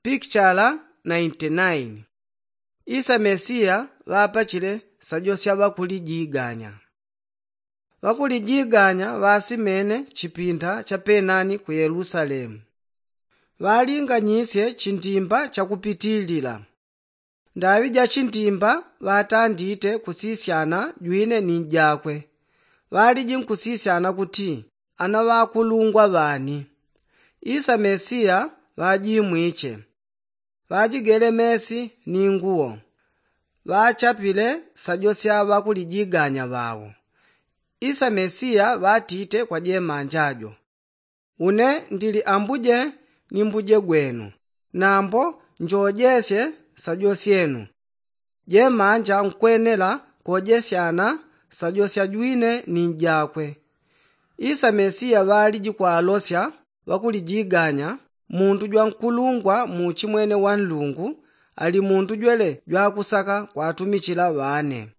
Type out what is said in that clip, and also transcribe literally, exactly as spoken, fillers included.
Pikichala nainti naini. Isa mesiya ŵapachile sajosya ŵakulijiganya. Ŵakulijiganya ŵasimene chipinda cha penani ku yelusalemu. Ŵalinganyisye chindimba chakupitilila. Ndaŵi ja chindimba ŵatandite kusisyana jwine ni njakwe. Ŵaliji nkusisyana kuti ana ŵakulungwa ŵani. Isa mesiya ŵajimwiche. Ŵajigele mesi ni nguwo. Ŵachapile sajosya ŵakulijiganya ŵawo. Isa mesiya ŵatite kwa jemanja jo, une ndili ambuje ni mbuje gwenu, nambo njojesye sajosyenu. Jemanja nkwenela kojesyana sajosya jwine ni njakwe. Isa mesiya ŵaliji kwalosya ŵakulijiganya muntu jwa nkulungwa mu uchimwene wa nlungu ali muntu jwele jwakusaka kwatumichila ŵane.